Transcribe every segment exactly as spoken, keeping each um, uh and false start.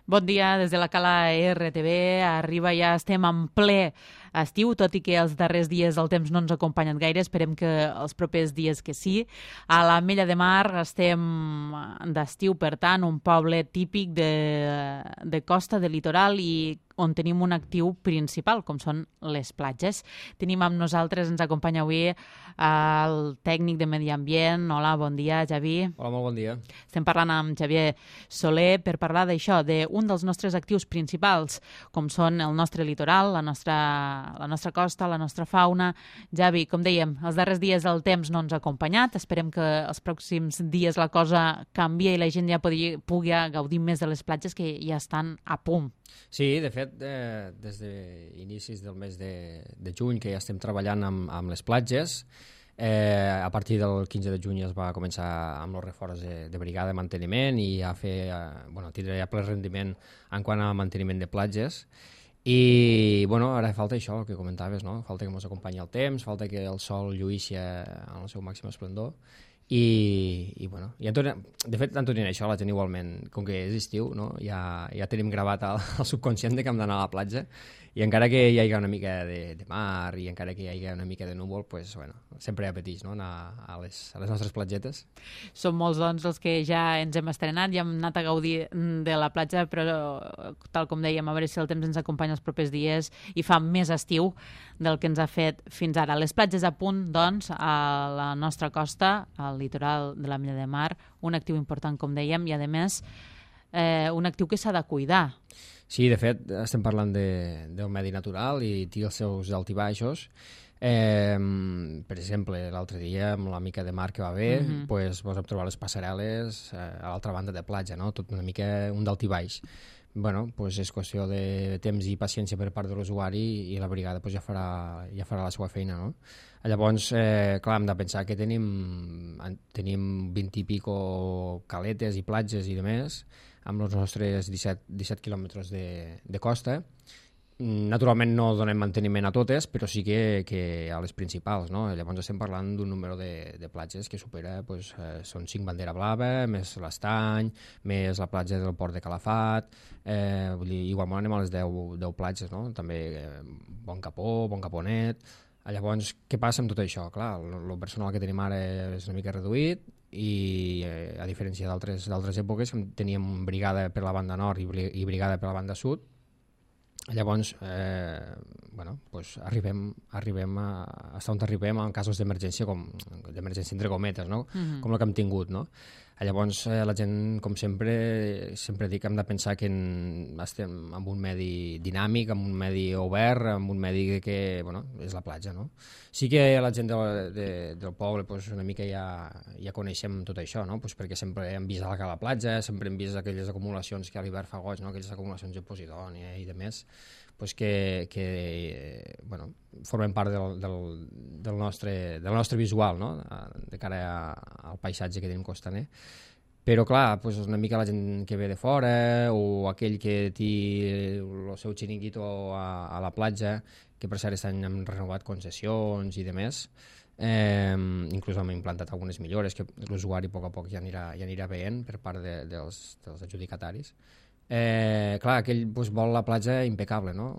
Bon dia, des de la Cala R T V. Arriba, ja estem en ple estiu, tot i que els darrers dies el temps no ens ha acompanyat gaire. Esperem que els propers dies que sí. A l'Ametlla de Mar estem d'estiu, per tant, un poble típic de, de costa, de litoral, i on tenim un actiu principal, com són les platges. Tenim amb nosaltres, ens acompanya avui el tècnic de Medi Ambient. Hola, bon dia, Javi. Hola, molt bon dia. Estem parlant amb Xavier Soler per parlar d'això, d'un dels nostres actius principals, com són el nostre litoral, la nostra, la nostra costa, la nostra fauna. Javi, com dèiem, els darrers dies el temps no ens ha acompanyat. Esperem que els pròxims dies la cosa canvia i la gent ja pugui, pugui gaudir més de les platges que ja estan a punt. Sí, de fet, eh, des d'inicis del mes de, de juny que ja estem treballant amb, amb les platges. Eh, a partir del quinze de juny es va començar amb els reforç de, de brigada de manteniment i a fer, eh, bueno, tindre ja ple rendiment en quant a manteniment de platges. I bueno, ara falta això, el que comentaves, no? Falta que ens acompanyi el temps, falta que el sol lluïssi en el seu màxim esplendor. I, i bueno, ja tornem, de fet, tant tornem això, la gent igualment, com que és estiu, no? ja, ja tenim gravat al, al subconscient de que hem d'anar a la platja, i encara que hi hagi una mica de, de mar i encara que hi hagi una mica de núvol, pues, bueno, sempre apeteix, no? Anar a les, a les nostres platgetes. Som molts, doncs, els que ja ens hem estrenat, ja hem anat a gaudir de la platja, però, tal com dèiem, a veure si el temps ens acompanya els propers dies i fa més estiu del que ens ha fet fins ara. Les platges a punt, doncs, a la nostra costa, al litoral de l'Ametlla de Mar, un actiu important, com dèiem, i, a més, eh, un actiu que s'ha de cuidar. Sí, de fet, estem parlant de, del medi natural i té els seus alts i baixos. Eh, per exemple, l'altre dia, amb la mica de mar que va haver, mm-hmm. pues, vos hem trobat les passarel·les eh, a l'altra banda de platja, no? Tot una mica un d'alt i baix. Bueno, pues és qüestió de temps i paciència per part de l'usuari i la brigada pues, ja, farà, ja farà la seva feina, no? Llavors, eh, clar, hem de pensar que tenim, tenim vint i pico caletes i platges i demés, amb els nostres disset quilòmetres de, de costa. Naturalment no donem manteniment a totes, però sí que, que a les principals, no? Llavors estem parlant d'un número de, de platges que supera, pues, eh, són cinc bandera blava, més l'Estany, més la platja del Port de Calafat, eh, vull dir, igualment anem a les deu platges, no? També eh, Bon Capó, Bon Caponet. Llavors, què passa amb tot això? Clar, el personal que tenim ara és una mica reduït i, eh, a diferència d'altres èpoques, teníem brigada per la banda nord i, i brigada per la banda sud. Llavors, eh, bueno, pues arribem, arribem a, hasta on arribem en casos d'emergència, com d'emergència entre cometes, no? Mm-hmm. Com la que hem tingut, no? Llavors, eh, la gent, com sempre, sempre dic que hem de pensar que en, estem en un medi dinàmic, en un medi obert, en un medi que, bueno, és la platja, no? Sí que la gent de, de, del poble, pues, una mica ja, ja coneixem tot això, no? Pues perquè sempre hem vist a la platja, sempre hem vist aquelles acumulacions que a l'hivern fa goig, no? Aquelles acumulacions de posidònia i de més, pues que, que bueno, formen part del, del, del, nostre, del nostre visual, no? De cara a, al paisatge que tenim costaner. Però clar, pues una mica la gent que ve de fora o aquell que té el seu xiringuito a, a la platja, que per cert aquest any hem renovat concessions i demés, eh, inclús hem implantat algunes millores que l'usuari a poc a poc ja anirà, ja anirà veient per part de, dels, dels adjudicataris. Eh, clar, aquell pues, vol la platja impecable, no?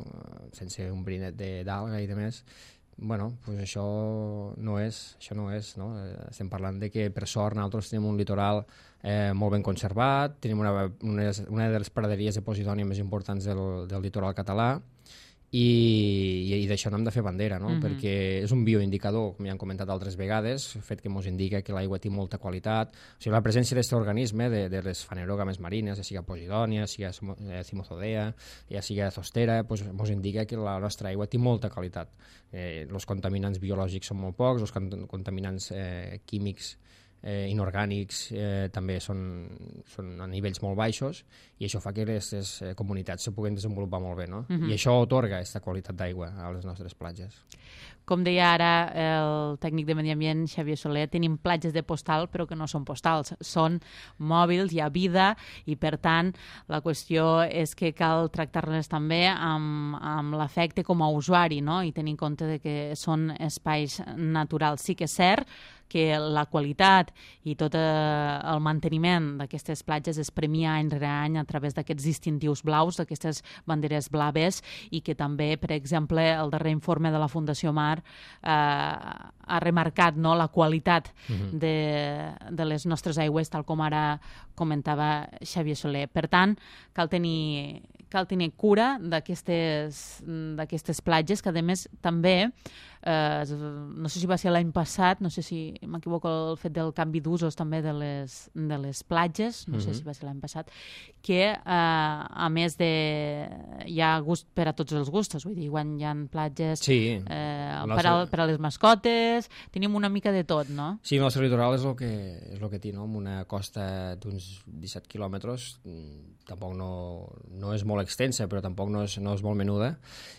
Sense un brinet d'alga i de més. Bueno, pues això no és, això no és, no? Estem parlant de que per sort nosaltres tenim un litoral eh, molt ben conservat, tenim una, una, una de les praderies de posidònia més importants del, del litoral català, i, i d'això n'hem de fer bandera, no? Mm-hmm. Perquè és un bioindicador, com ja han comentat altres vegades, el fet que ens indica que l'aigua té molta qualitat. O sigui, la presència d'aquest organisme, de, de les fanerògames marines, ja sigui posidònia, ja sigui cimozodea, ja sigui zostera, pues, ens indica que la nostra aigua té molta qualitat. Eh, els contaminants biològics són molt pocs, els contaminants eh, químics Eh, inorgànics eh, també són, són a nivells molt baixos, i això fa que aquestes eh, comunitats se puguen desenvolupar molt bé, no? Mm-hmm. I això otorga aquesta qualitat d'aigua a les nostres platges. Com deia ara el tècnic de Medi Ambient, Xavier Soler, tenim platges de postal però que no són postals, són mòbils, hi ha vida, i per tant la qüestió és que cal tractar-les també amb, amb l'afecte com a usuari, no? I tenir en compte de que són espais naturals. Sí que és cert que la qualitat i tot eh, el manteniment d'aquestes platges es premia any rere any a través d'aquests distintius blaus, d'aquestes banderes blaves, i que també, per exemple, el darrer informe de la Fundació Mar eh, ha remarcat, no, la qualitat uh-huh. de, de les nostres aigües, tal com ara comentava Xavier Soler. Per tant, cal tenir, cal tenir cura d'aquestes d'aquestes platges, que a més també, eh, no sé si va ser l'any passat, no sé si m'equivoco, el fet del canvi d'usos també de les, de les platges, no uh-huh. sé si va ser l'any passat, que eh, a més de... hi ha gust per a tots els gustos, vull dir, quan hi ha platges sí, eh, per, a, per a les mascotes, tenim una mica de tot, no? Sí, el nostre litoral és el que, és el que té, no? Amb una costa d'uns disset quilòmetres, tampoc no, no és molt extensa, però tampoc no és, no és molt menuda,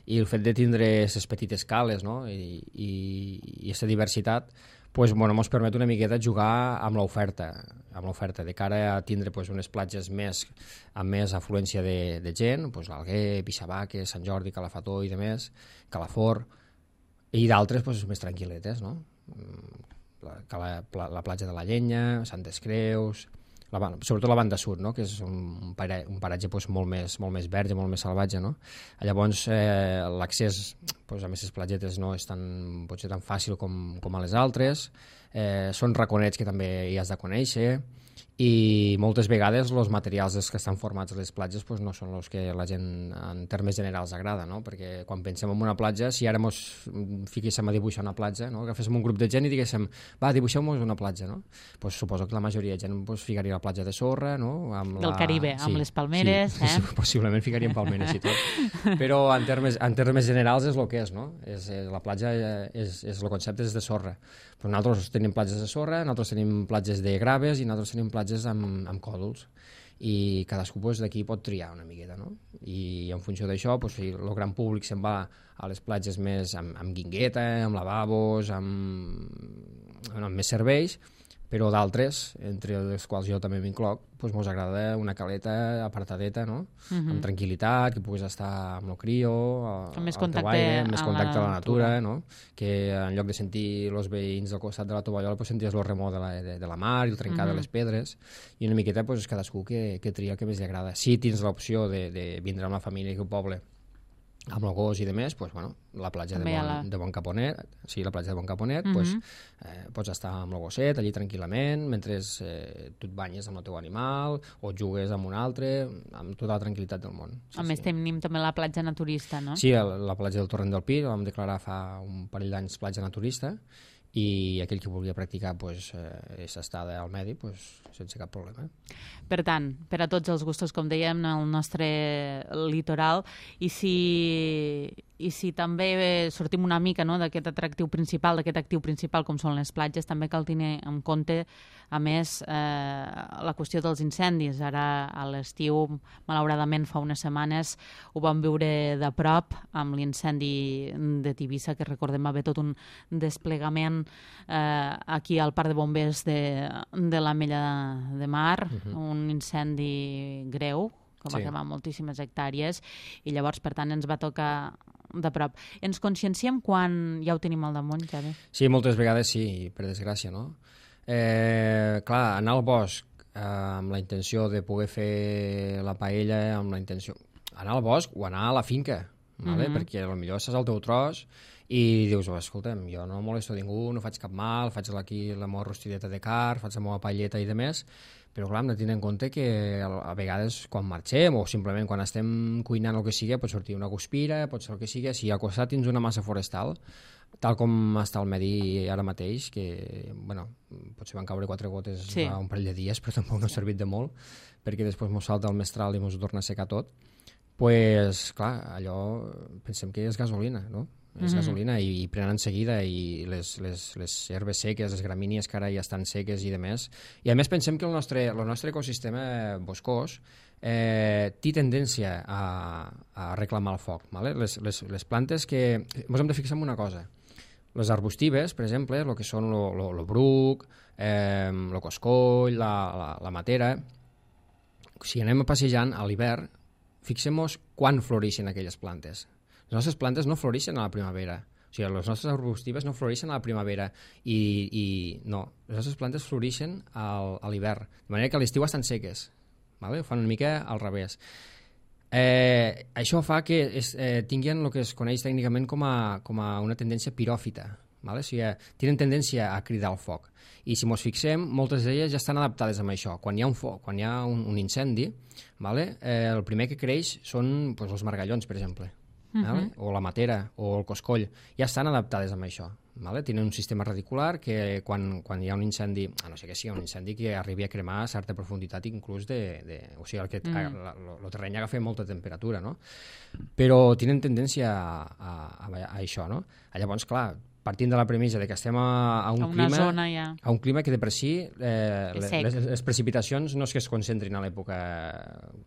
i el fet de tindre aquestes petites cales, no? I, i, i aquesta diversitat pues, bueno, ens permet una miqueta jugar amb l'oferta, amb l'oferta de cara a tindre pues, unes platges més, amb més afluència de, de gent, pues, l'Alguer, Pixabaque, Sant Jordi, Calafató i demés, Calafort, i d'altres pues, més tranquil·letes, no? La, la, la platja de la Llenya, Santes Creus, la, sobretot la banda sud, no? Que és un, paratge, un paratge pues, molt, més, molt més verge, molt més salvatge, no? Llavors eh, l'accés pues, a aquestes platgetes no és tan, pot ser tan fàcil com, com a les altres, eh, són raconets que també hi has de conèixer, i moltes vegades els materials que estan formats a les platges pues, no són els que la gent en termes generals agrada, no? Perquè quan pensem en una platja, si ara ens fiquéssim a dibuixar una platja, no? Agaféssim un grup de gent i diguéssim, va, dibuixeu-nos una platja, no? Pues, suposo que la majoria de gent pues, ficaria la platja de sorra, no? Amb del la... Caribe, sí, amb les palmeres, sí, eh? Possiblement ficaríem palmeres i tot, però en termes, en termes generals és el que és, no? És, és, la platja és, és el concepte és de sorra. Però nosaltres tenim platges de sorra, nosaltres tenim platges de graves i nosaltres tenim platges amb, amb còdols, i cadascú pues, d'aquí pot triar una miqueta, no? I en funció d'això pues, el gran públic se'n va a les platges més amb, amb guingueta, amb lavabos, amb, amb més serveis, però d'altres, entre les quals jo també m'incloc, doncs mos agrada una caleta apartadeta, no? Uh-huh. Amb tranquil·litat, que puguis estar amb el crio, amb més al contacte, teu aire, amb més contacte a a la natura, no? Que en lloc de sentir els veïns al costat de la tovallola, pues senties el remor de la, de, de la mar i el trencar uh-huh. de les pedres, i una miqueta pues, cadascú que, que tria el que més li agrada. Si tens l'opció de, de vindre amb la família i un poble amb el gos i de més, pues, bueno, la platja de bon, la... de bon Caponet, sí, la platja de Bon Caponet, uh-huh. pues, eh, pots estar amb el gosset allí tranquil·lament, mentre eh, tu et banyes amb el teu animal, o jugues amb un altre, amb tota la tranquil·litat del món. Sí, a més, sí. tenim també la platja naturista, no? Sí, la, la platja del Torrent del Pi, la vam declarar fa un parell d'anys platja naturista, i aquell que volia practicar pues, eh, s'estada al medi pues, sense cap problema. Per tant, per a tots els gustos, com dèiem, el nostre litoral, i si, i si també sortim una mica no, d'aquest atractiu principal, d'aquest actiu principal com són les platges, també cal tenir en compte, a més, eh, la qüestió dels incendis. Ara, a l'estiu, malauradament, fa unes setmanes, ho vam viure de prop amb l'incendi de Tivissa, que recordem va haver tot un desplegament eh, aquí al Parc de Bombers de, de l'Ametlla de Mar, uh-huh. un incendi greu, que va sí. cremar moltíssimes hectàrees, i llavors, per tant, ens va tocar de prop. Ens conscienciem quan ja ho tenim al damunt, Javi? Sí, moltes vegades sí, per desgràcia, no? Eh, clar, anar al bosc eh, amb la intenció de poder fer la paella, amb la intenció... Anar al bosc o anar a la finca, vale? Mm-hmm. Perquè potser estàs al teu tros i dius, oh, escolta'm, jo no molesto ningú, no faig cap mal, faig aquí la meva rostideta de car, faig la meva paelleta i de més, però clar, hem de tenir en compte que a vegades quan marxem o simplement quan estem cuinant el que sigui, pot sortir una guspira, pot ser el que sigui, si al costat tens una massa forestal, tal com està el medi ara mateix, que, bueno, potser van caure quatre gotes sí. fa un parell de dies, però tampoc no ha servit de molt, perquè després mos salta el mestral i mos torna a secar tot, pues, clar, allò pensem que és gasolina, no? És mm-hmm. gasolina i, i prenen en seguida i les, les, les herbes seques, les gramínies que ara ja estan seques i de més. I a més pensem que el nostre, el nostre ecosistema boscós eh, té tendència a, a reclamar el foc. Vale? Les, les, les plantes que... Ens hem de fixar en una cosa. Les arbustives, per exemple, el que són el bruc, eh, el coscoll, la, la, la matera, si anem passejant a l'hivern, fixem-nos quan floreixen aquelles plantes. Les nostres plantes no floreixen a la primavera. O sigui, les nostres arbustives no floreixen a la primavera i, i no, les nostres plantes floreixen al, a l'hivern, de manera que a l'estiu estan seques, vale? Ho fan una mica al revés. Eh, això fa que es, eh, tinguin el que es coneix tècnicament com a, com a una tendència piròfita, vale? O sigui, tenen tendència a cridar el foc. I si ens fixem, moltes d'elles ja estan adaptades a això. Quan hi ha un foc, quan hi ha un, un incendi, vale? eh, el primer que creix són pues, els margallons, per exemple, uh -huh. vale? O la matera, o el coscoll. Ja estan adaptades a això. Vale? Tenen un sistema radicular que quan, quan hi ha un incendi, a no sé què sigui, un incendi que arribi a cremar a certa profunditat inclús de... de o sigui, el, que, mm. el, el terreny agafa molta temperatura, no? Però tenen tendència a, a, a, a això, no? Llavors, clar, partint de la premissa de que estem a, a, un, a, clima, zona, ja. a un clima que de per si eh, les, les precipitacions no és que es concentrin a l'època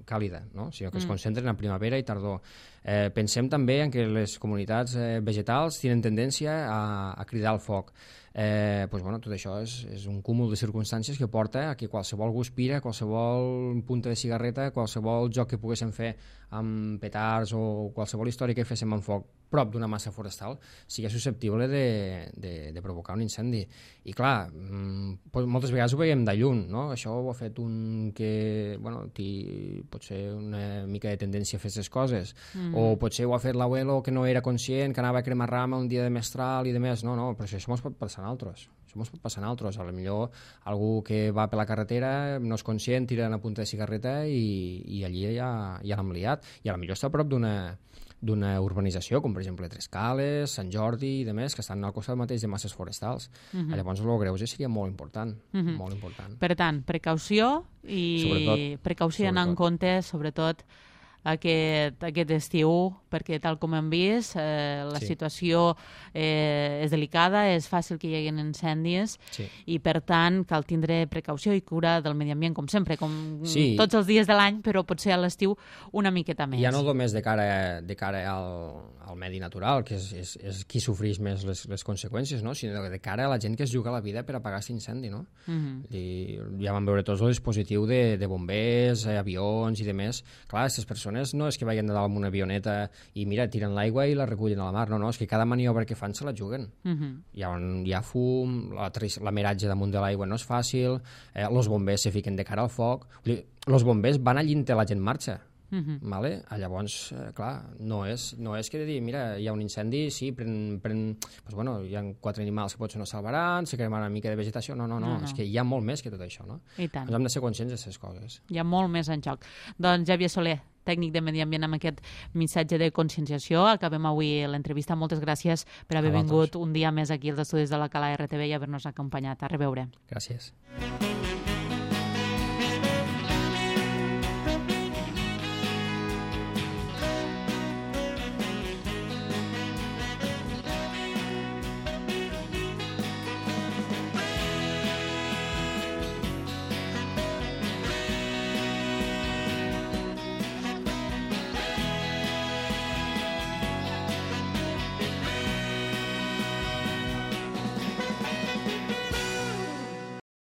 càlida, no? Sinó que mm. es concentren a primavera i tardor. Eh, pensem també en que les comunitats eh, vegetals tenen tendència a, a cridar el foc. Eh, pues, bueno, tot això és, és un cúmul de circumstàncies que porta a que qualsevol guspira, qualsevol punta de cigarreta, qualsevol joc que poguéssim fer amb petards o qualsevol història que féssim amb foc prop d'una massa forestal sigui susceptible de, de, de provocar un incendi. I clar, moltes vegades ho veiem de lluny, no? Això ho ha fet un que, bueno, té potser una mica de tendència a fer aquestes coses, mm. o potser ho ha fet l'abuelo que no era conscient, que anava a cremar rama un dia de mestral i de més. No, no, però això ens pot passar a altres. Això ens pot passar a altres. A lo millor algú que va per la carretera no és conscient, tira una punta de cigarreta i, i allí ja, ja l'hem liat. I a lo millor està a prop d'una d'una urbanització, com per exemple Trescales, Sant Jordi i demés, que estan al costat mateix de masses forestals. Uh-huh. Llavors el greuge seria molt important, uh-huh. molt important. Per tant, precaució i sobretot, precaució anar en compte, sobretot aquest, aquest estiu, perquè tal com hem vist, eh, la sí. situació eh, és delicada, és fàcil que hi hagi incendis sí. i, per tant, cal tindre precaució i cura del medi ambient, com sempre, com sí. tots els dies de l'any, però potser a l'estiu una miqueta més. Ja no només de cara, de cara al, al medi natural, que és, és, és qui sofreix més les, les conseqüències, no? Sinó de cara a la gent que es juga la vida per apagar aquest incendi, no? Uh-huh. I ja vam veure tots el dispositiu de, de bombers, eh, avions i demés. Clar, aquestes persones no és que vagin de dalt amb una avioneta i mira, tiren l'aigua i la recullen a la mar, no, no, és que cada maniobra que fan se la juguen. Uh-huh. Hi, ha, hi ha fum, la, la meratge damunt de l'aigua no és fàcil, eh, els bombers se fiquen de cara al foc, els bombers van allí on la gent marxa. Uh-huh. Vale? Llavors, eh, clar, no és, no és que de dir, mira, hi ha un incendi, sí, pren, pren, pues bueno, hi ha quatre animals que potser no salvaran, se cremarà una mica de vegetació, no, no, no, no, no, és que hi ha molt més que tot això, no? I tant. Ens hem de ser conscients d'aquestes coses. Hi ha molt més en joc. Doncs Xavier Soler, tècnic de Medi Ambient, amb aquest missatge de conscienciació. Acabem avui l'entrevista. Moltes gràcies per haver vingut un dia més aquí als estudis de la Cala R T V i haver-nos acompanyat. A reveure. Gràcies.